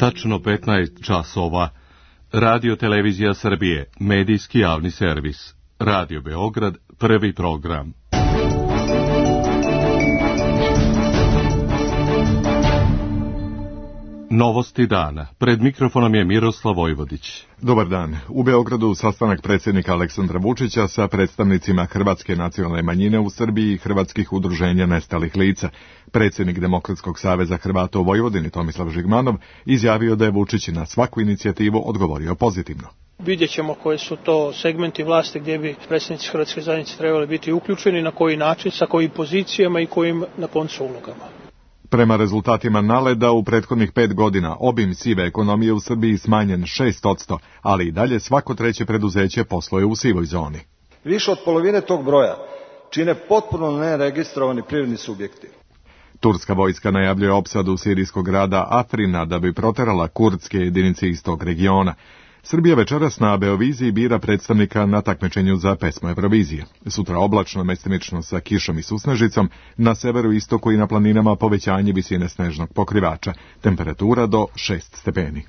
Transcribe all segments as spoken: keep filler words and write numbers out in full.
tačno petnaest časova. Radio Televizija Srbije, medijski javni servis. Radio Beograd, prvi program. Novosti dana. Pred mikrofonom je Miroslav Vojvodić. Dobar dan. U Beogradu sastanak predsjednika Aleksandra Vučića sa predstavnicima hrvatske nacionalne manjine u Srbiji i hrvatskih udruženja nestalih lica. Predsjednik Demokratskog saveza Hrvata u Vojvodini Tomislav Žigmanov izjavio da je Vučić na svaku inicijativu odgovorio pozitivno. Vidjet ćemo koji su to segmenti vlasti gdje bi predstavnici hrvatske zajednice trebali biti uključeni, na koji način, sa kojim pozicijama i kojim na koncu ulogama. Prema rezultatima Naleda u prethodnih pet godina obim sive ekonomije u Srbiji smanjen šest posto, ali i dalje svako treće preduzeće posluje u sivoj zoni. Više od polovine tog broja čine potpuno neregistrovani privredni subjekti. Turska vojska najavljuje opsadu sirijskog grada Afrina da bi proterala kurdske jedinice iz tog regiona. Srbija večeras na Beoviziji bira predstavnika na takmičenju za pesmu Eurovizije. Sutra oblačno, mestimično sa kišom i susnežicom, na severu, istoku i na planinama povećanje visine snežnog pokrivača, temperatura do šest stepeni.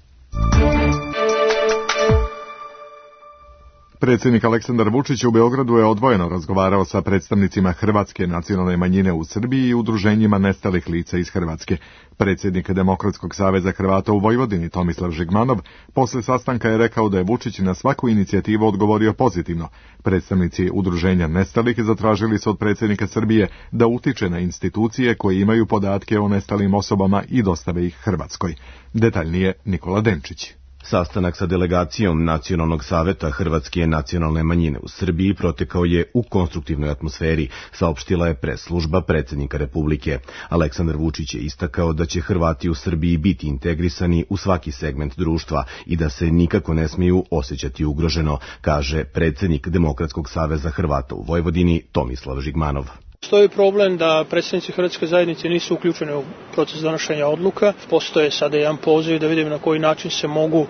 Predsjednik Aleksandar Vučić u Beogradu je odvojeno razgovarao sa predstavnicima hrvatske nacionalne manjine u Srbiji i udruženjima nestalih lica iz Hrvatske. Predsjednik Demokratskog saveza Hrvata u Vojvodini Tomislav Žigmanov posle sastanka je rekao da je Vučić na svaku inicijativu odgovorio pozitivno. Predstavnici udruženja nestalih zatražili su od predsjednika Srbije da utiče na institucije koje imaju podatke o nestalim osobama i dostave ih Hrvatskoj. Detaljnije Nikola Denčić. Sastanak sa delegacijom Nacionalnog saveta Hrvatske nacionalne manjine u Srbiji protekao je u konstruktivnoj atmosferi, saopštila je pres služba predsjednika Republike. Aleksandar Vučić je istakao da će Hrvati u Srbiji biti integrisani u svaki segment društva i da se nikako ne smiju osjećati ugroženo, kaže predsjednik Demokratskog saveza Hrvata u Vojvodini Tomislav Žigmanov. Postoji problem da predstavnici hrvatske zajednice nisu uključeni u proces donošenja odluka. Postoje sada jedan poziv da vidimo na koji način se mogu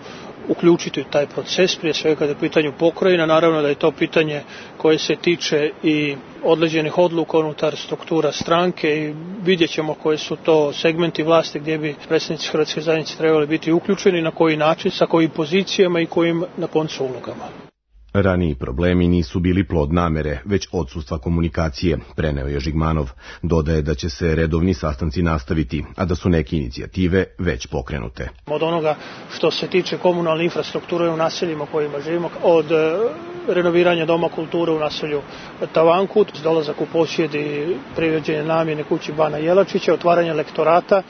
uključiti u taj proces, prije svega kada je u pitanju pokrajina. Naravno da je to pitanje koje se tiče i određenih odluka unutar struktura stranke i vidjet ćemo koji su to segmenti vlasti gdje bi predstavnici hrvatske zajednice trebali biti uključeni, na koji način, sa kojim pozicijama i kojim na koncu ulogama. Raniji problemi nisu bili plod namere, već odsustva komunikacije, preneo je Žigmanov. Dodaje da će se redovni sastanci nastaviti, a da su neke inicijative već pokrenute. Od onoga što se tiče komunalne infrastrukture u naseljima kojima živimo, od renoviranja doma kulture u naselju Tavankut, dolazak u posjed i privođenje namjene kući Bana Jelačića, otvaranje lektorata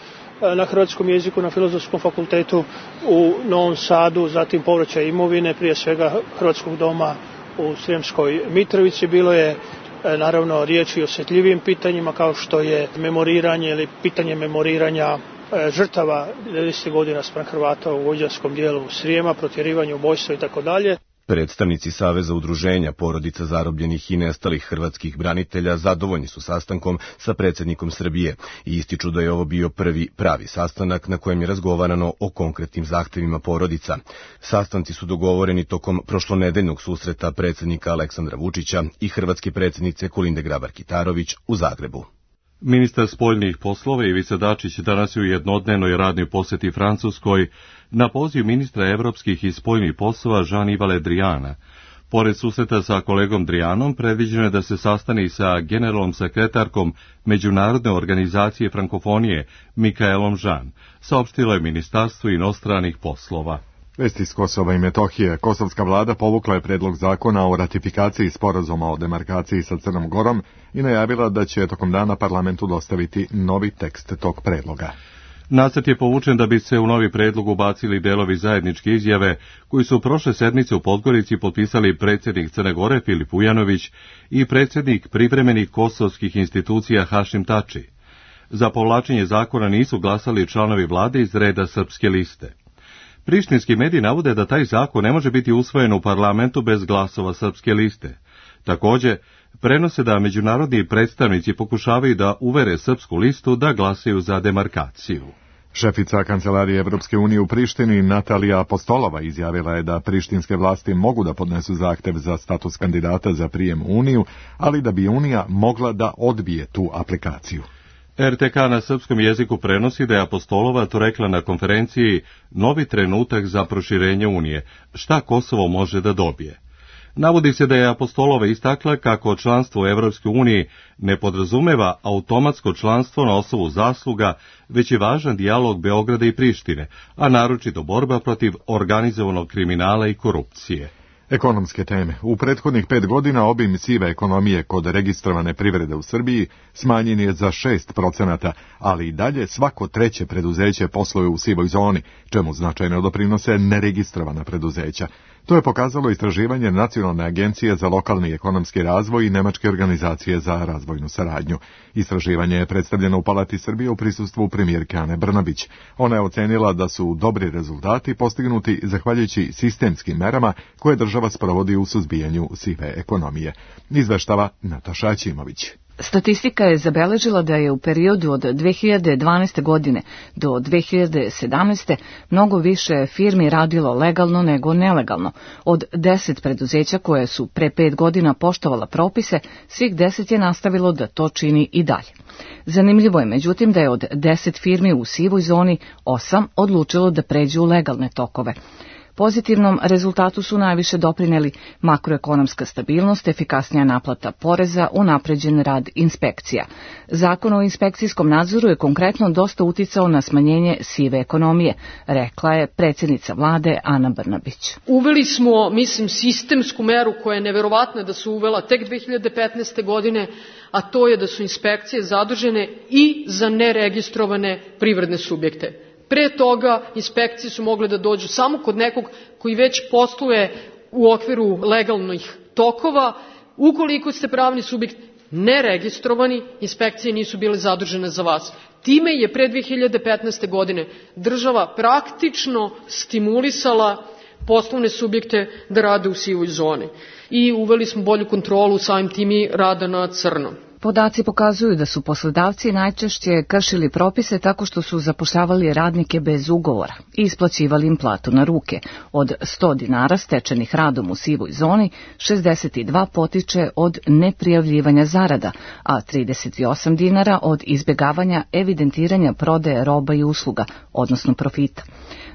na hrvatskom jeziku na Filozofskom fakultetu u Novom Sadu, zatim povraćaj imovine, prije svega Hrvatskog doma u Srijemskoj Mitrovici. Bilo je naravno riječi o osjetljivim pitanjima kao što je memoriranje ili pitanje memoriranja žrtava devedesetih godina spram Hrvata u vojvođanskom dijelu Srijema, protjerivanje, ubojstva i tako dalje. Predstavnici Saveza udruženja porodica zarobljenih i nestalih hrvatskih branitelja zadovoljni su sastankom sa predsjednikom Srbije i ističu da je ovo bio prvi pravi sastanak na kojem je razgovarano o konkretnim zahtevima porodica. Sastanci su dogovoreni tokom prošlonedeljnog susreta predsjednika Aleksandra Vučića i hrvatske predsjednice Kolinde Grabar-Kitarović u Zagrebu. Ministar spoljnih poslova Ivica Dačić danas je u jednodnevnoj radnoj posjeti Francuskoj na poziv ministra evropskih i spoljnih poslova Jean-Yves Le Driana. Pored susreta sa kolegom Drianom, predviđeno je da se sastane sa generalnom sekretarkom Međunarodne organizacije frankofonije Mikaelom Jean, saopštilo je Ministarstvo inostranih poslova. Vesti iz Kosova i Metohije. Kosovska vlada povukla je predlog zakona o ratifikaciji sporazuma o demarkaciji sa Crnom Gorom i najavila da će tokom dana parlamentu dostaviti novi tekst tog predloga. Nacrt je povučen da bi se u novi predlog ubacili delovi zajedničke izjave koji su prošle sedmice u Podgorici potpisali predsjednik Crne Gore Filip Ujanović i predsjednik privremenih kosovskih institucija Hašim Tači. Za povlačenje zakona nisu glasali članovi vlade iz reda Srpske liste. Prištinski mediji navode da taj zakon ne može biti usvojen u parlamentu bez glasova Srpske liste. Također, prenose da međunarodni predstavnici pokušavaju da uvere Srpsku listu da glasaju za demarkaciju. Šefica Kancelarije Evropske unije u Prištini Natalija Apostolova izjavila je da prištinske vlasti mogu da podnesu zahtev za status kandidata za prijem u Uniju, ali da bi Unija mogla da odbije tu aplikaciju. R T K na srpskom jeziku prenosi da je Apostolova to rekla na konferenciji Novi trenutak za proširenje Unije, šta Kosovo može da dobije. Navodi se da je Apostolova istakla kako članstvo u Evropskoj uniji ne podrazumeva automatsko članstvo na osnovu zasluga, već je važan dijalog Beograda i Prištine, a naročito borba protiv organizovanog kriminala i korupcije. Ekonomske teme. U prethodnih pet godina obim sive ekonomije kod registrovane privrede u Srbiji smanjen je za šest procenata, ali i dalje svako treće preduzeće posluje u sivoj zoni, čemu značajno doprinose neregistrovana preduzeća. To je pokazalo istraživanje Nacionalne agencije za lokalni ekonomski razvoj i Nemačke organizacije za razvojnu saradnju. Istraživanje je predstavljeno u Palati Srbije u prisustvu premijerke Ane Brnabić. Ona je ocenila da su dobri rezultati postignuti zahvaljujući sistemskim merama koje država sprovodi u suzbijanju sive ekonomije. Izveštava Nataša Aćimović. Statistika je zabeležila da je u periodu od dve hiljade dvanaeste. godine do dve hiljade sedamnaeste. mnogo više firmi radilo legalno nego nelegalno. Od deset preduzeća koje su pre pet godina poštovala propise, svih deset je nastavilo da to čini i dalje. Zanimljivo je međutim da je od deset firmi u sivoj zoni osam odlučilo da pređu u legalne tokove. Pozitivnom rezultatu su najviše doprineli makroekonomska stabilnost, efikasnija naplata poreza, unapređen rad inspekcija. Zakon o inspekcijskom nadzoru je konkretno dosta uticao na smanjenje sive ekonomije, rekla je predsjednica vlade Ana Brnabić. Uveli smo, mislim, sistemsku meru koja je neverovatna da su uvela tek dve hiljade petnaeste. godine, a to je da su inspekcije zadužene i za neregistrovane privredne subjekte. Pre toga inspekcije su mogle da dođu samo kod nekog koji već posluje u okviru legalnih tokova. Ukoliko ste pravni subjekt neregistrovani, inspekcije nisu bile zadužene za vas. Time je pre dve hiljade petnaeste. godine država praktično stimulisala poslovne subjekte da rade u sivoj zoni. I uveli smo bolju kontrolu samim tim i rada na crno. Podaci pokazuju da su poslodavci najčešće kršili propise tako što su zapošljavali radnike bez ugovora i isplaćivali im platu na ruke. Od sto dinara stečenih radom u sivoj zoni, šezdeset dva potiče od neprijavljivanja zarada, a trideset osam dinara od izbjegavanja evidentiranja prodaje roba i usluga, odnosno profita.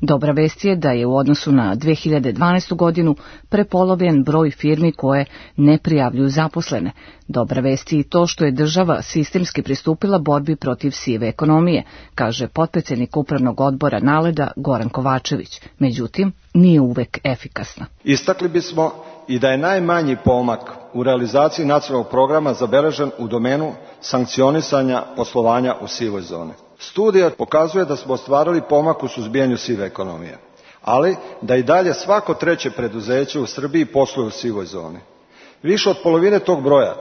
Dobra vest je da je u odnosu na dve hiljade dvanaestu. godinu prepolovljen broj firmi koje ne prijavljuju zaposlene. Dobra vest je i to što je država sistemski pristupila borbi protiv sive ekonomije, kaže potpredsjednik upravnog odbora Naleda Goran Kovačević. Međutim, nije uvek efikasna. Istakli bismo i da je najmanji pomak u realizaciji nacionalnog programa zabeležen u domenu sankcionisanja poslovanja u sivoj zoni. Studija pokazuje da smo ostvarili pomak u suzbijanju sive ekonomije, ali da i dalje svako treće preduzeće u Srbiji posluje u sivoj zoni. Više od polovine tog broja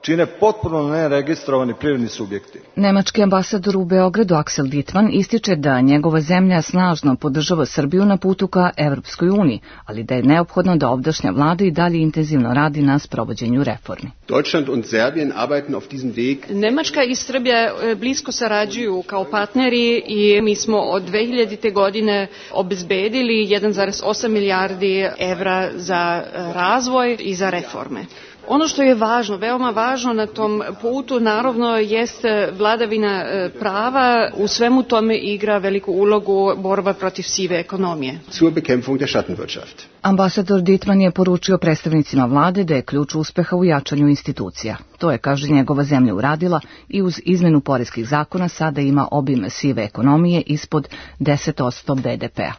čine potpuno neregistrovani privredni subjekti. Nemački ambasador u Beogradu Axel Dittmann ističe da njegova zemlja snažno podržava Srbiju na putu ka Evropskoj uniji, ali da je neophodno da ovdašnja vlada i dalje intenzivno radi na sprovođenju reformi. Deutschland und Serbien arbeiten auf diesem Weg. Nemačka i Srbija blisko sarađuju kao partneri i mi smo od dve hiljadite. godine obezbedili jedan zarez osam milijardi evra za razvoj i za reforme. Ono što je važno, veoma važno na tom putu, naravno, jeste vladavina prava. U svemu tome igra veliku ulogu borba protiv sive ekonomije. Zur Bekämpfung der Schattenwirtschaft. Ambasador Dittmann je poručio predstavnicima vlade da je ključ uspeha u jačanju institucija. To je, kaže, njegova zemlja uradila i uz izmenu poreskih zakona sada ima obim sive ekonomije ispod deset posto be de pea.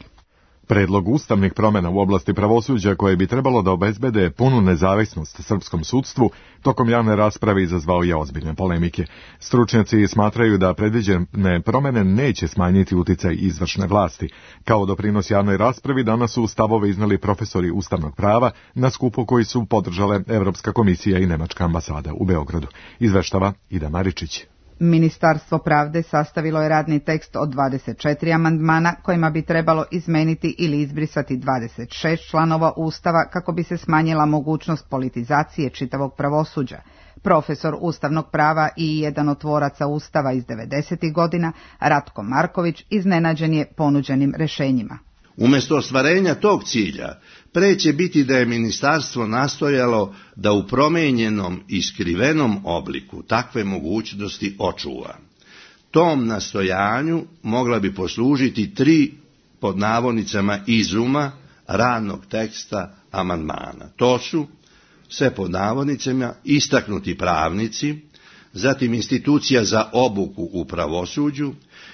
Predlog ustavnih promjena u oblasti pravosuđa koje bi trebalo da obezbede punu nezavisnost srpskom sudstvu tokom javne rasprave izazvao je ozbiljne polemike. Stručnjaci smatraju da predviđene promjene neće smanjiti uticaj izvršne vlasti. Kao doprinos javnoj raspravi danas su stavove iznali profesori ustavnog prava na skupu koji su podržale Evropska komisija i Nemačka ambasada u Beogradu. Izveštava Ida Maričić. Ministarstvo pravde sastavilo je radni tekst od dvadeset četiri amandmana kojima bi trebalo izmeniti ili izbrisati dvadeset šest članova Ustava kako bi se smanjila mogućnost politizacije čitavog pravosuđa. Profesor ustavnog prava i jedan od tvoraca Ustava iz devedesetih godina, Ratko Marković, iznenađen je ponuđenim rešenjima. Umjesto ostvarenja tog cilja, pre će biti da je ministarstvo nastojalo da u promenjenom i skrivenom obliku takve mogućnosti očuva. Tom nastojanju mogla bi poslužiti tri pod navodnicama izuma radnog teksta amandmana. To su, sve pod navodnicama, istaknuti pravnici, zatim institucija za obuku u pravosuđu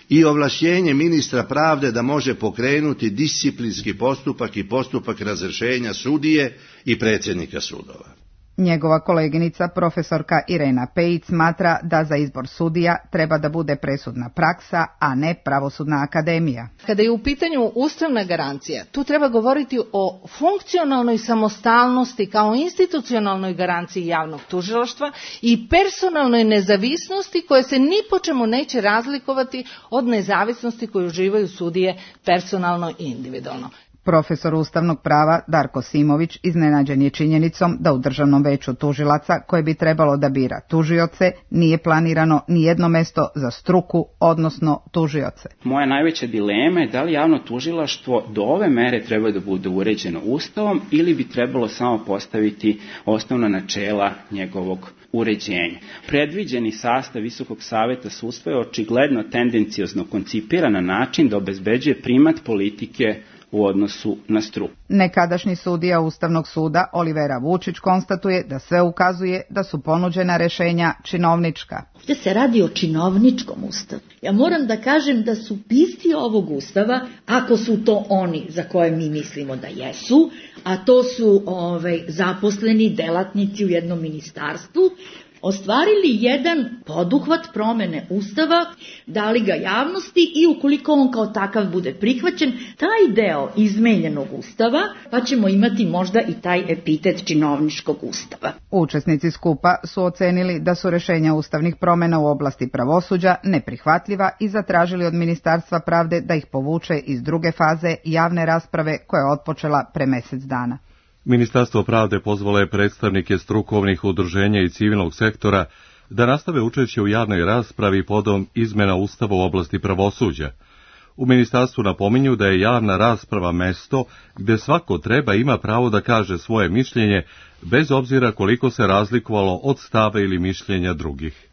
i ovlašćenje ministra pravde da može pokrenuti disciplinski postupak i postupak razrješenja sudije i predsjednika sudova. Njegova koleginica, profesorka Irena Pejić, smatra da za izbor sudija treba da bude presudna praksa, a ne pravosudna akademija. Kada je u pitanju ustavna garancija, tu treba govoriti o funkcionalnoj samostalnosti kao institucionalnoj garanciji javnog tužilaštva i personalnoj nezavisnosti koje se ni po čemu neće razlikovati od nezavisnosti koju uživaju sudije personalno i individualno. Profesor ustavnog prava Darko Simović iznenađen je činjenicom da u Državnom veću tužilaca, koje bi trebalo da bira tužioce, nije planirano ni jedno mesto za struku, odnosno tužioce. Moja najveća dilema je da li javno tužilaštvo do ove mere treba da bude uređeno Ustavom ili bi trebalo samo postaviti osnovna načela njegovog uređenja. Predviđeni sastav Visokog saveta sudstva je očigledno tendenciozno koncipiran na način da obezbeđuje primat politike u odnosu na struku. Nekadašnji sudija Ustavnog suda Olivera Vučić konstatuje da sve ukazuje da su ponuđena rešenja činovnička. Ovdje se radi o činovničkom ustavu. Ja moram da kažem da su pisci ovog ustava, ako su to oni za koje mi mislimo da jesu, a to su ovaj, zaposleni delatnici u jednom ministarstvu, ostvarili jedan poduhvat promene Ustava, dali ga javnosti i ukoliko on kao takav bude prihvaćen, taj deo izmenjenog Ustava, pa ćemo imati možda i taj epitet činovničkog Ustava. Učesnici skupa su ocenili da su rešenja ustavnih promena u oblasti pravosuđa neprihvatljiva i zatražili od Ministarstva pravde da ih povuče iz druge faze javne rasprave koja je otpočela pre mesec dana. Ministarstvo pravde pozvalo je predstavnike strukovnih udruženja i civilnog sektora da nastave učešće u javnoj raspravi podom izmena Ustava u oblasti pravosuđa. U ministarstvu napominju da je javna rasprava mesto gde svako treba ima pravo da kaže svoje mišljenje, bez obzira koliko se razlikovalo od stava ili mišljenja drugih.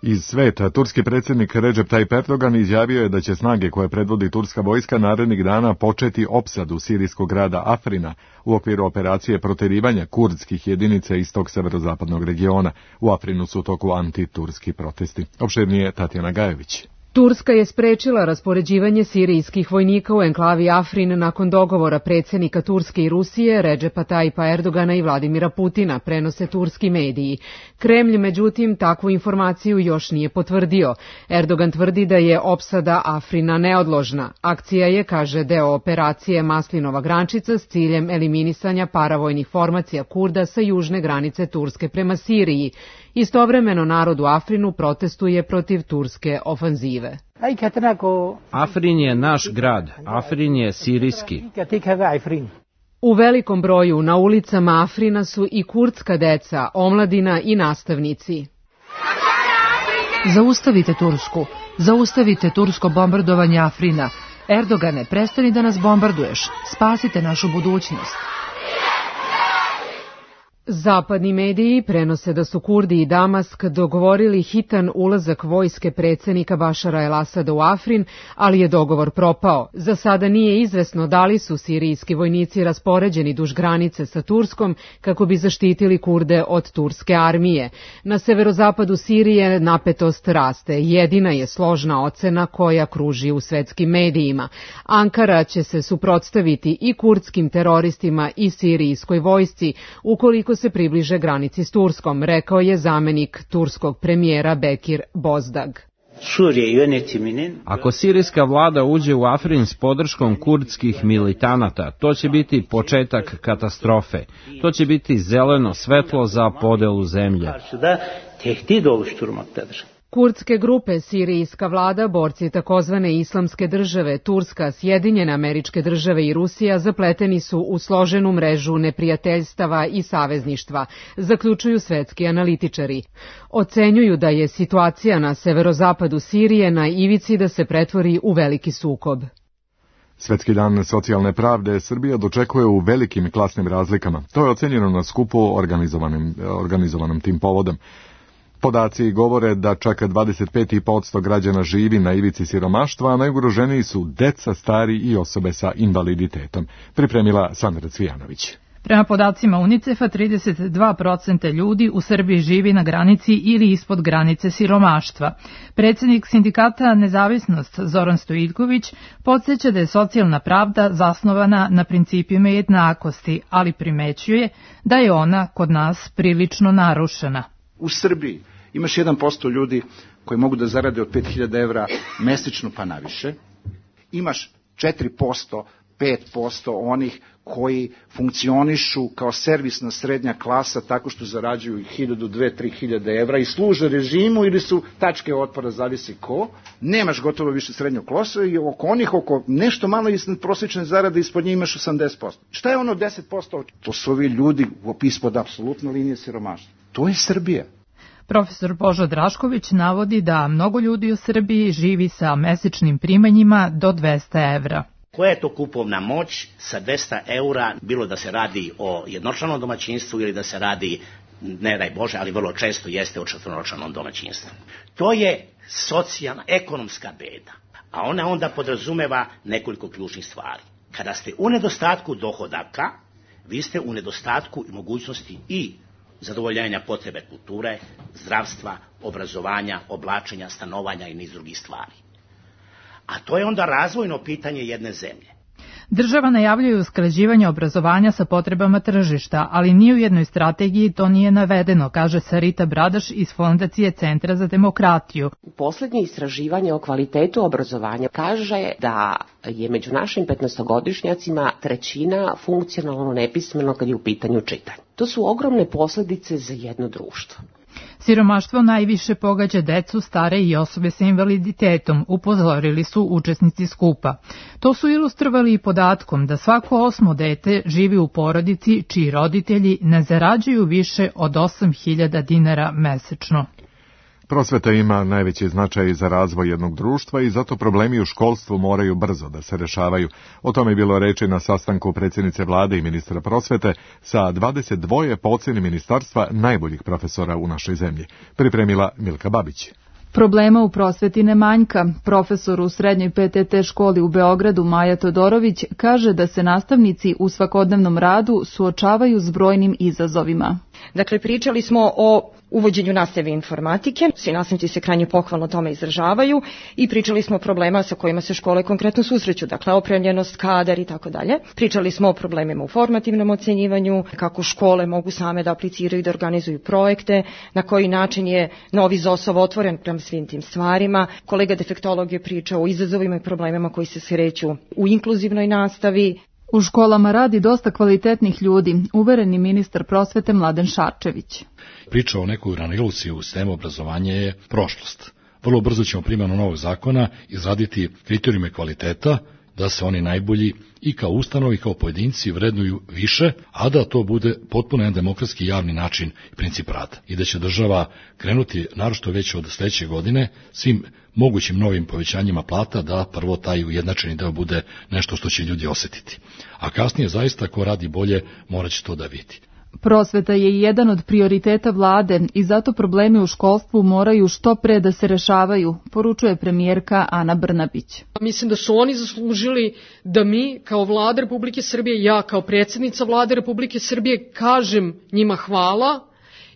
Iz sveta, turski predsjednik Recep Tayyip Erdogan izjavio je da će snage koje predvodi turska vojska narednih dana početi opsadu sirijskog grada Afrina u okviru operacije proterivanja kurdskih jedinica iz tog severozapadnog regiona. U Afrinu su u toku antiturski protesti. Opširnije Tatjana Gajević. Turska je sprečila raspoređivanje sirijskih vojnika u enklavi Afrin nakon dogovora predsjednika Turske i Rusije, Recepa Tayyipa Erdogana i Vladimira Putina, prenose turski mediji. Kremlj, međutim, takvu informaciju još nije potvrdio. Erdogan tvrdi da je opsada Afrina neodložna. Akcija je, kaže, deo operacije Maslinova grančica s ciljem eliminisanja paravojnih formacija Kurda sa južne granice Turske prema Siriji. Istovremeno narod u Afrinu protestuje protiv turske ofanzive. Afrin je naš grad, Afrin je sirijski. U velikom broju na ulicama Afrina su i kurdska deca, omladina i nastavnici. Zaustavite Tursku, zaustavite tursko bombardovanje Afrina. Erdogane, prestani da nas bombarduješ, spasite našu budućnost. Zapadni mediji prenose da su Kurdi i Damask dogovorili hitan ulazak vojske predsjednika Bašara el-Asada u Afrin, ali je dogovor propao. Za sada nije izvesno da li su sirijski vojnici raspoređeni duž granice sa Turskom kako bi zaštitili Kurde od turske armije. Na severozapadu Sirije napetost raste. Jedina je složna ocena koja kruži u svetskim medijima. Ankara će se suprotstaviti i kurdskim teroristima i sirijskoj vojsci ukoliko se približe granici s Turskom, rekao je zamenik turskog premijera Bekir Bozdag. Ako sirijska vlada uđe u Afrin s podrškom kurdskih militanata, to će biti početak katastrofe. To će biti zeleno svetlo za podelu zemlje. Kurdske grupe, sirijska vlada, borci takozvane islamske države, Turska, Sjedinjene Američke Države i Rusija zapleteni su u složenu mrežu neprijateljstava i savezništva, zaključuju svetski analitičari. Ocenjuju da je situacija na severozapadu Sirije na ivici da se pretvori u veliki sukob. Svetski dan socijalne pravde Srbija dočekuje u velikim klasnim razlikama. To je ocenjeno na skupu organizovanim, organizovanom tim povodom. Podaci govore da čak dvadeset pet posto građana živi na ivici siromaštva, a najugroženiji su deca, stari i osobe sa invaliditetom. Pripremila Sandra Cvijanović. Prema podacima UNICEF-a, trideset dva posto ljudi u Srbiji živi na granici ili ispod granice siromaštva. Predsjednik sindikata Nezavisnost Zoran Stojiljković podsjeća da je socijalna pravda zasnovana na principima jednakosti, ali primećuje da je ona kod nas prilično narušena. U Srbiji imaš jedan posto ljudi koji mogu da zarade od pet hiljada evra mesečno pa naviše. Imaš četiri posto, pet posto onih koji funkcionišu kao servisna srednja klasa tako što zarađuju hiljadu, dve, tri hiljade evra i služe režimu ili su tačke otpora, zavisi ko. Nemaš gotovo više srednjog klasa i oko onih, oko nešto malo iznad prosječne zarade, ispod njih imaš osamdeset posto. Šta je ono deset posto? To su ovi ljudi ispod apsolutno linije siromaštva. To je Srbija. Profesor Božo Drašković navodi da mnogo ljudi u Srbiji živi sa mesečnim primanjima do dvesta evra. Koja je to kupovna moć sa dvesta eura, bilo da se radi o jednočlanom domaćinstvu ili da se radi, ne daj Bože, ali vrlo često jeste o četvoročlanom domaćinstvu. To je socijalna, ekonomska beda, a ona onda podrazumeva nekoliko ključnih stvari. Kada ste u nedostatku dohodaka, vi ste u nedostatku mogućnosti i zadovoljenja potrebe kulture, zdravstva, obrazovanja, oblačenja, stanovanja i niz drugih stvari. A to je onda razvojno pitanje jedne zemlje. Država najavljuje usklađivanje obrazovanja sa potrebama tržišta, ali ni u jednoj strategiji to nije navedeno, kaže Sarita Bradaš iz Fondacije Centra za demokratiju. Poslednje istraživanje o kvalitetu obrazovanja kaže da je među našim petnaestogodišnjacima trećina funkcionalno nepismeno kad je u pitanju čitanje. To su ogromne posledice za jedno društvo. Siromaštvo najviše pogađa decu, stare i osobe sa invaliditetom, upozorili su učesnici skupa. To su ilustrovali i podatkom da svako osmo dete živi u porodici čiji roditelji ne zarađuju više od osam hiljada dinara mesečno. Prosveta ima najveći značaj za razvoj jednog društva i zato problemi u školstvu moraju brzo da se rešavaju. O tome je bilo reči na sastanku predsjednice vlade i ministra prosvete sa dvadeset dva po ocjeni ministarstva najboljih profesora u našoj zemlji. Pripremila Milka Babić. Problema u prosveti ne manjka. Profesor u srednjoj P T T školi u Beogradu Maja Todorović kaže da se nastavnici u svakodnevnom radu suočavaju s brojnim izazovima. Dakle, pričali smo o uvođenju nastave informatike, svi nastavnici se krajnje pohvalno tome izražavaju i pričali smo o problema sa kojima se škole konkretno susreću, dakle opremljenost, kadar i tako dalje. Pričali smo o problemima u formativnom ocenjivanju, kako škole mogu same da apliciraju i da organizuju projekte, na koji način je novi ZOSOV otvoren prema svim tim stvarima. Kolega defektolog je pričao o izazovima i problemima koji se sreću u inkluzivnoj nastavi. U školama radi dosta kvalitetnih ljudi, uvereni ministar prosvete Mladen Šarčević. Priča o nekoj raniluciji u sistemu obrazovanja je prošlost. Vrlo brzo ćemo primjenom novog zakona izraditi kriterijume kvaliteta, da se oni najbolji i kao ustanovi i kao pojedinci vrednuju više, a da to bude potpuno jedan demokratski javni način i princip rada. I da će država krenuti, naročito već od sljedeće godine, svim mogućim novim povećanjima plata, da prvo taj ujednačeni deo bude nešto što će ljudi osjetiti. A kasnije zaista ko radi bolje morat će to da vidi. Prosveta je jedan od prioriteta vlade i zato problemi u školstvu moraju što pre da se rešavaju, poručuje premijerka Ana Brnabić. Mislim da su oni zaslužili da mi kao vlada Republike Srbije, ja kao predsjednica vlade Republike Srbije kažem njima hvala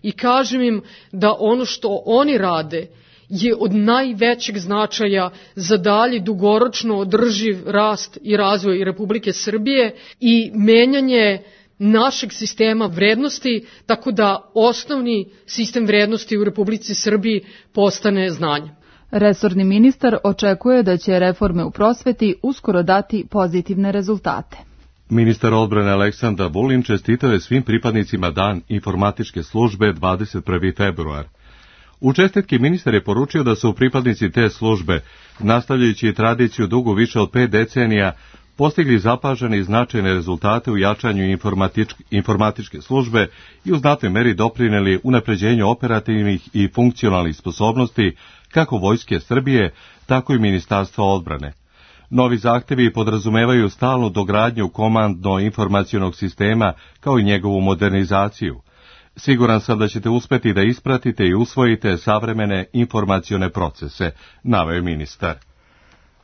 i kažem im da ono što oni rade je od najvećeg značaja za dalji dugoročno održiv rast i razvoj Republike Srbije i menjanje našeg sistema vrednosti, tako da osnovni sistem vrednosti u Republici Srbiji postane znanje. Resorni ministar očekuje da će reforme u prosveti uskoro dati pozitivne rezultate. Ministar odbrane Aleksandar Vulin čestitao je svim pripadnicima Dan informatičke službe dvadeset prvi februar. U čestitki ministar je poručio da su pripadnici te službe, nastavljajući tradiciju dugu više od pet decenija, postigli zapažene i značajne rezultate u jačanju informatičke službe i u znatnoj meri doprineli unapređenju operativnih i funkcionalnih sposobnosti kako Vojske Srbije, tako i Ministarstva odbrane. Novi zahtevi podrazumevaju stalnu dogradnju komandno-informacionog sistema kao i njegovu modernizaciju. Siguran sam da ćete uspeti da ispratite i usvojite savremene informacione procese, naveo je ministar.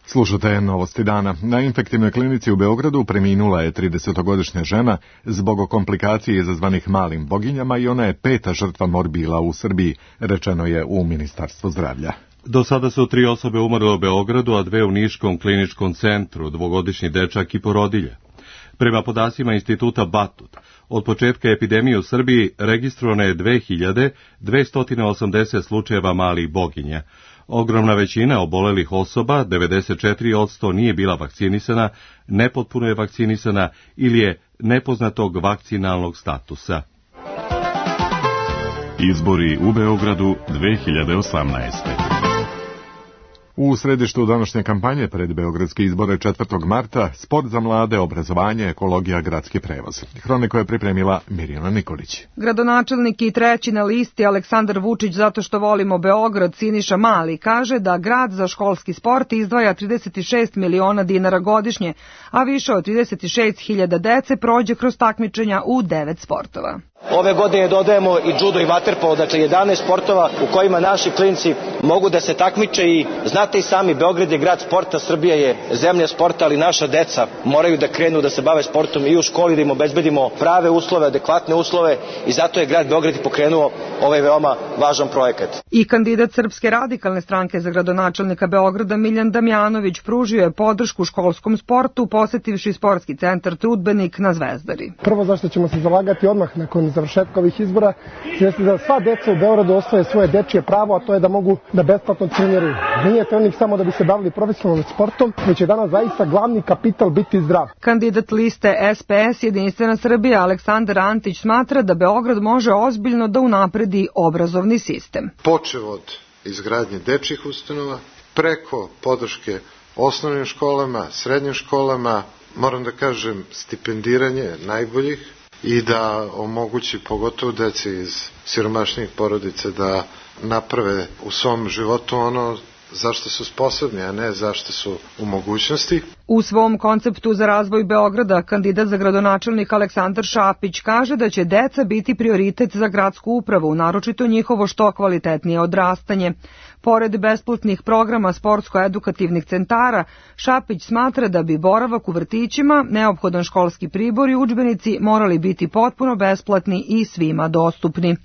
Slušate novosti dana. Na infektivnoj klinici u Beogradu preminula je tridesetogodišnja žena zbog komplikacije izazvanih malim boginjama i ona je peta žrtva morbila u Srbiji, rečeno je u Ministarstvu zdravlja. Do sada su tri osobe umrle u Beogradu, a dve u Niškom kliničkom centru, dvogodišnji dečak i porodilja. Prema podacima instituta Batut, od početka epidemije u Srbiji registrovano je dve hiljade dvesta osamdeset slučajeva malih boginja. Ogromna većina obolelih osoba, devedeset četiri posto, nije bila vakcinisana, nepotpuno je vakcinisana ili je nepoznatog vakcinalnog statusa. Izbori u Beogradu dve hiljade osamnaeste. U središtu današnje kampanje pred beogradske izbore četvrtog marta, sport za mlade, obrazovanje, ekologija, gradski prevoz. Hroniku je pripremila Mirjana Nikolić. Gradonačelnik i treći na listi Aleksandar Vučić zato što volimo Beograd, Siniša Mali, kaže da grad za školski sport izdvaja trideset šest miliona dinara godišnje, a više od trideset šest hiljada dece prođe kroz takmičenja u devet sportova. Ove godine dodajemo i judo i vaterpolo, dakle jedanaest sportova u kojima naši klinci mogu da se takmiče i znate i sami, Beograd je grad sporta, Srbija je zemlja sporta, ali naša deca moraju da krenu da se bave sportom i u školi, da im obezbedimo prave uslove, adekvatne uslove i zato je grad Beograd pokrenuo ovaj veoma važan projekat. I kandidat Srpske radikalne stranke za gradonačelnika Beograda Miljan Damjanović pružio je podršku školskom sportu posetivši sportski centar Trudbenik na Zvezdari. Prvo zašto ćemo se zalagati odmah nakon završetka ovih izbora, jeste da sva deca u Beogradu osvoje svoje dečije pravo, a to je da mogu da besplatno treniraju. Nije trening samo da bi se bavili profesionalnim sportom, već je danas zaista glavni kapital biti zdrav. Kandidat liste S P S Jedinstvena Srbija Aleksandar Antić smatra da Beograd može ozbiljno da unapredi obrazovni sistem. Počev od izgradnje dečjih ustanova, preko podrške osnovnim školama, srednjim školama, moram da kažem stipendiranje najboljih, i da omogući pogotovo deci iz siromašnih porodica da naprave u svom životu ono zašto su sposobni, a ne zašto su u mogućnosti. U svom konceptu za razvoj Beograda kandidat za gradonačelnik Aleksandar Šapić kaže da će deca biti prioritet za gradsku upravu, naročito njihovo što kvalitetnije odrastanje. Pored besplatnih programa sportsko-edukativnih centara, Šapić smatra da bi boravak u vrtićima, neophodan školski pribor i udžbenici morali biti potpuno besplatni i svima dostupni.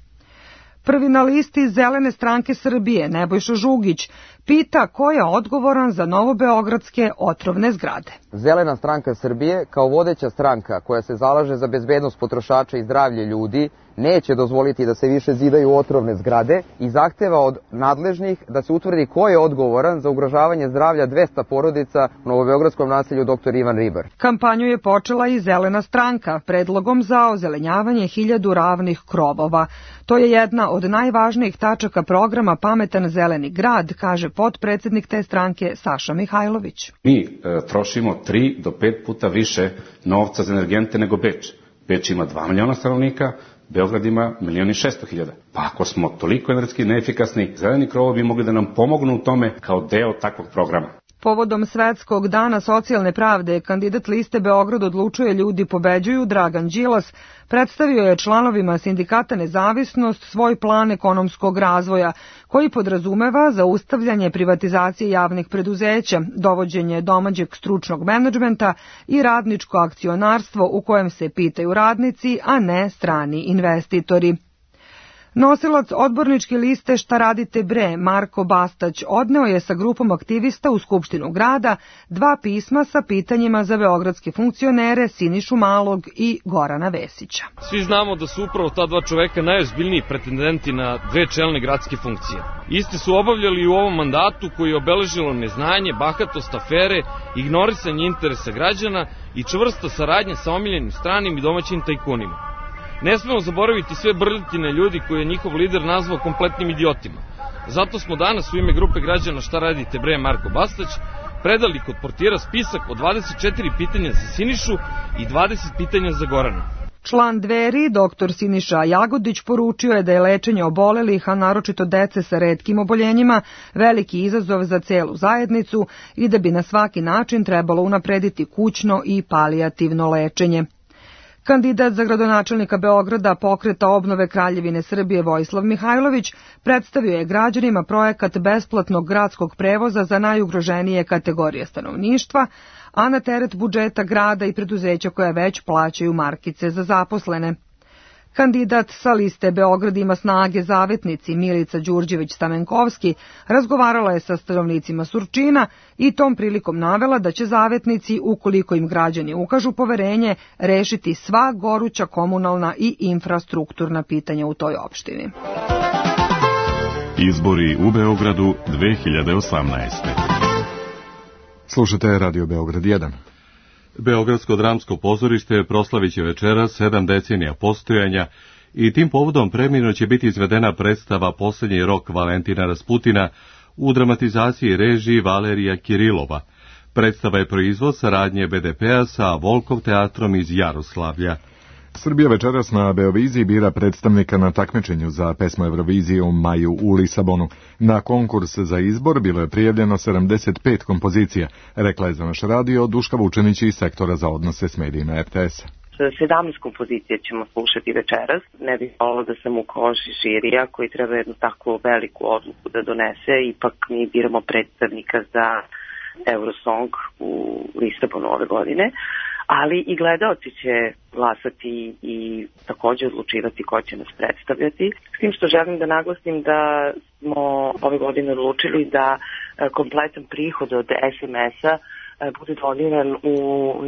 Prvi na listi Zelene stranke Srbije, Nebojša Žugić, pita ko je odgovoran za novobeogradske otrovne zgrade. Zelena stranka Srbije, kao vodeća stranka koja se zalaže za bezbednost potrošača i zdravlje ljudi, neće dozvoliti da se više zidaju otrovne zgrade i zahteva od nadležnih da se utvrdi ko je odgovoran za ugrožavanje zdravlja dvesta porodica u novobeogradskom naselju doktor Ivan Ribar. Kampanju je počela i Zelena stranka predlogom za ozelenjavanje hiljadu ravnih krovova. To je jedna od najvažnijih tačaka programa Pametan zeleni grad, kaže potpredsednik te stranke Saša Mihajlović. Mi e, trošimo tri do pet puta više novca za energente nego Beč. Beč ima dva miliona stanovnika, Beograd ima milion i šesto hiljada. Pa ako smo toliko energetski neefikasni, zeleni krovovi bi mogli da nam pomognu u tome kao deo takvog programa. Povodom Svetskog dana socijalne pravde, kandidat liste Beograd odlučuje ljudi pobeđuju Dragan Đilas predstavio je članovima sindikata Nezavisnost svoj plan ekonomskog razvoja, koji podrazumeva zaustavljanje privatizacije javnih preduzeća, dovođenje domaćeg stručnog menadžmenta i radničko akcionarstvo u kojem se pitaju radnici, a ne strani investitori. Nosilac odborničke liste Šta radite bre, Marko Bastać, odneo je sa grupom aktivista u Skupštinu grada dva pisma sa pitanjima za beogradske funkcionere Sinišu Malog i Gorana Vesića. Svi znamo da su upravo ta dva čoveka najozbiljniji pretendenti na dve čelne gradske funkcije. Isti su obavljali u ovom mandatu koji je obeležilo neznanje, bahatost, afere, ignorisanje interesa građana i čvrsta saradnja sa omiljenim stranim i domaćim tajkunima. Ne smemo zaboraviti sve brljotine ljudi koje je njihov lider nazvao kompletnim idiotima. Zato smo danas u ime grupe građana Šta radite bre Marko Bastać predali kod portira spisak od dvadeset četiri pitanja za Sinišu i dvadeset pitanja za Gorana. Član Dveri, doktor Siniša Jagodić, poručio je da je lečenje obolelih, a naročito dece sa retkim oboljenjima, veliki izazov za celu zajednicu i da bi na svaki način trebalo unaprediti kućno i palijativno lečenje. Kandidat za gradonačelnika Beograda Pokreta obnove Kraljevine Srbije Vojislav Mihajlović predstavio je građanima projekat besplatnog gradskog prevoza za najugroženije kategorije stanovništva, a na teret budžeta grada i preduzeća koja već plaćaju markice za zaposlene. Kandidat sa liste Beograd ima snage zavetnici Milica Đurđević-Stamenkovski razgovarala je sa stanovnicima Surčina i tom prilikom navela da će zavetnici, ukoliko im građani ukažu poverenje, rešiti sva goruća komunalna i infrastrukturna pitanja u toj opštini. Izbori u Beogradu dve hiljade osamnaeste. Slušate Radio Beograd jedan. Beogradsko dramsko pozorište proslavit će večeras sedam decenija postojanja i tim povodom premijerno će biti izvedena predstava Poslednji rok Valentina Rasputina u dramatizaciji režiji Valerija Kirilova. Predstava je proizvod saradnje be de pe-a sa Volkov teatrom iz Jaroslavlja. Srbija večeras na Beoviziji bira predstavnika na takmičenju za pesmu Eurovizije u maju u Lisabonu. Na konkurs za izbor bilo je prijavljeno sedamdeset pet kompozicija, rekla je za naš radio Duška Vučenić iz sektora za odnose s medijima er te es-a. sedamnaest kompozicija ćemo slušati večeras. Ne bih volila da sam u koži žirija koji treba jednu takvu veliku odluku da donese. Ipak mi biramo predstavnika za Eurosong u Lisabonu ove godine. Ali i gledaoci će glasati i također odlučivati ko će nas predstavljati. S tim što želim da naglasim da smo ove godine odlučili da kompletan prihod od es em es-a bude dodiran u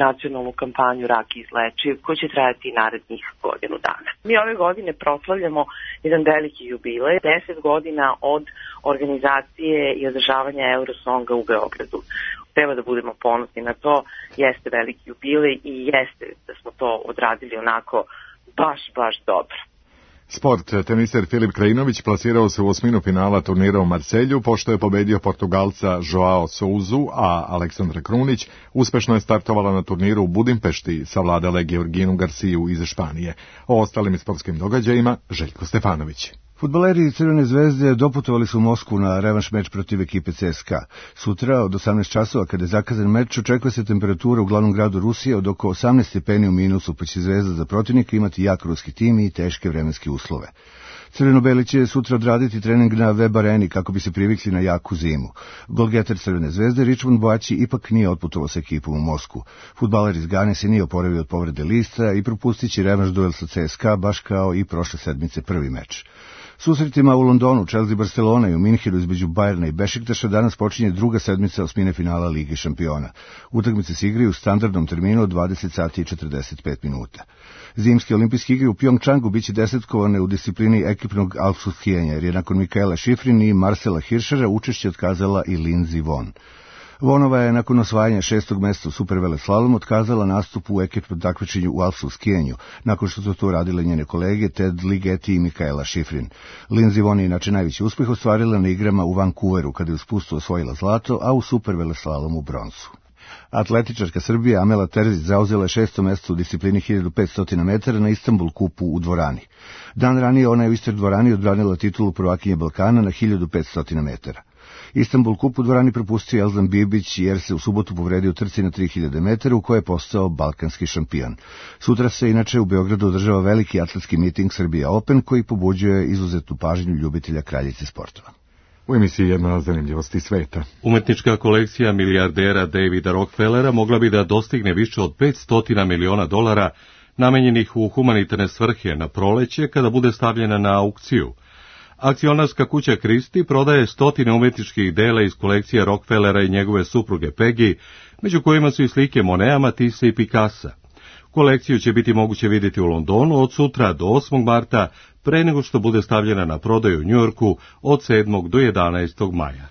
nacionalnu kampanju Rak izlečiv, koji će trajati narednih godinu dana. Mi ove godine proslavljamo jedan veliki jubilej, deset godina od organizacije i održavanja Eurosonga u Beogradu. Treba da budemo ponosni na to, jeste veliki jubilej i jeste da smo to odradili onako baš, baš dobro. Sport. Teniser Filip Krajinović plasirao se u osminu finala turnira u Marselju, pošto je pobedio Portugalca Joao Souzu, a Aleksandra Krunić uspešno je startovala na turniru u Budimpešti, savladala Georginu Garciju iz Španije. O ostalim sportskim događajima Željko Stefanović. Fudbaleri Crvene zvezde doputovali su u Moskvu na revanš meč protiv ekipe ce es ka. Sutra od osamnaest časova, kada je zakazan meč, očekuje se temperatura u glavnom gradu Rusije od oko osamnaest stepeni u minusu, pa će Zvezda za protivnika imati jak ruski tim i teške vremenske uslove. Crveno-beli će sutra odraditi trening na web areni kako bi se privikli na jaku zimu. Golgeter Crvene zvezde Richmond Boaći ipak nije otputovao sa ekipom u Moskvu. Fudbaler iz Gane se nije oporavio od povrede lista i propustit će revanš duel sa ce es ka, baš kao i prošle sedmice prvi meč. Susretima u Londonu, Chelsea Barcelona i u Minhenu između Bajerna i Bešiktaša danas počinje druga sedmica osmine finala Lige šampiona. Utakmice se igraju u standardnom terminu od dvadeset sati i četrdeset pet minuta. Zimske olimpijske igre u Pjongčangu biće desetkovane u disciplini ekipnog alpskog skijanja, jer je nakon Mikaela Šifrin i Marcela Hirschera učešće otkazala i Lindsey Vonn. Vonova je nakon osvajanja šestog mesta u superveleslalom otkazala nastup u ekipnom takmičenju u alpskom skijanju, nakon što su to radile njene kolege Ted Ligeti i Mikaela Šifrin. Lindsey Vonn je inače najveći uspeh ostvarila na igrama u Vancouveru, kada je u spustu osvojila zlato, a u superveleslalomu bronzu. Atletičarka Srbije Amela Terzić zauzela je šesto mesto u disciplini hiljadu petsto metara na Istanbul kupu u dvorani. Dan ranije ona je u istoj dvorani odbranila titulu prvakinje Balkana na hiljadu petsto metara. Istanbul kup u dvorani propustio Elzan Bibić jer se u subotu povredio u trci na tri hiljade metara u kojoj je postao balkanski šampion. Sutra se inače u Beogradu održava veliki atletski miting Srbija Open koji pobuđuje izuzetnu pažnju ljubitelja kraljice sportova. U emisiji jedna zanimljivosti sveta. Umetnička kolekcija milijardera Davida Rockefellera mogla bi da dostigne više od petsto miliona dolara namenjenih u humanitarne svrhe na proleće kada bude stavljena na aukciju. Akcionarska kuća Christie prodaje stotine umetničkih dela iz kolekcije Rockefellera i njegove supruge Peggy, među kojima su i slike Moneta, Matisse i Picassa. Kolekciju će biti moguće vidjeti u Londonu od sutra do osmog marta, pre nego što bude stavljena na prodaju u Njujorku od sedmog do jedanaestog maja.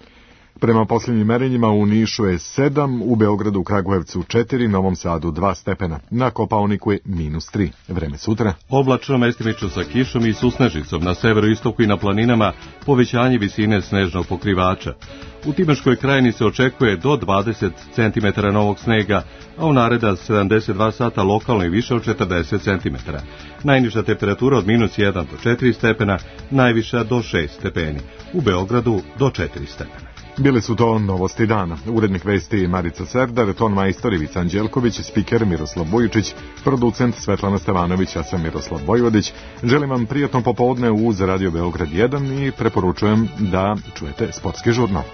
Prema posljednjim merenjima u Nišu je sedam, u Beogradu, Kragujevcu četiri, Novom Sadu dva stepena, na Kopaoniku je minus tri. Vreme sutra. Oblačno, mestimično sa kišom i susnežicom, na severoistoku i na planinama povećanje visine snežnog pokrivača. U Timočkoj krajini se očekuje do dvadeset centimetara novog snega, a u naredna sedamdeset dva sata lokalno i više od četrdeset centimetara. Najniža temperatura od minus jedan do četiri stepena, najviša do šest stepeni. U Beogradu do četiri stepena. Bili su to novosti dana. Urednik vesti Marica Serdar, ton majstor Ivica Anđelković, spiker Miroslav Bujičić, producent Svetlana Stevanović, ja sam Miroslav Vojvodić. Želim vam prijatno popodne uz Radio Beograd jedan i preporučujem da čujete sportski žurnal.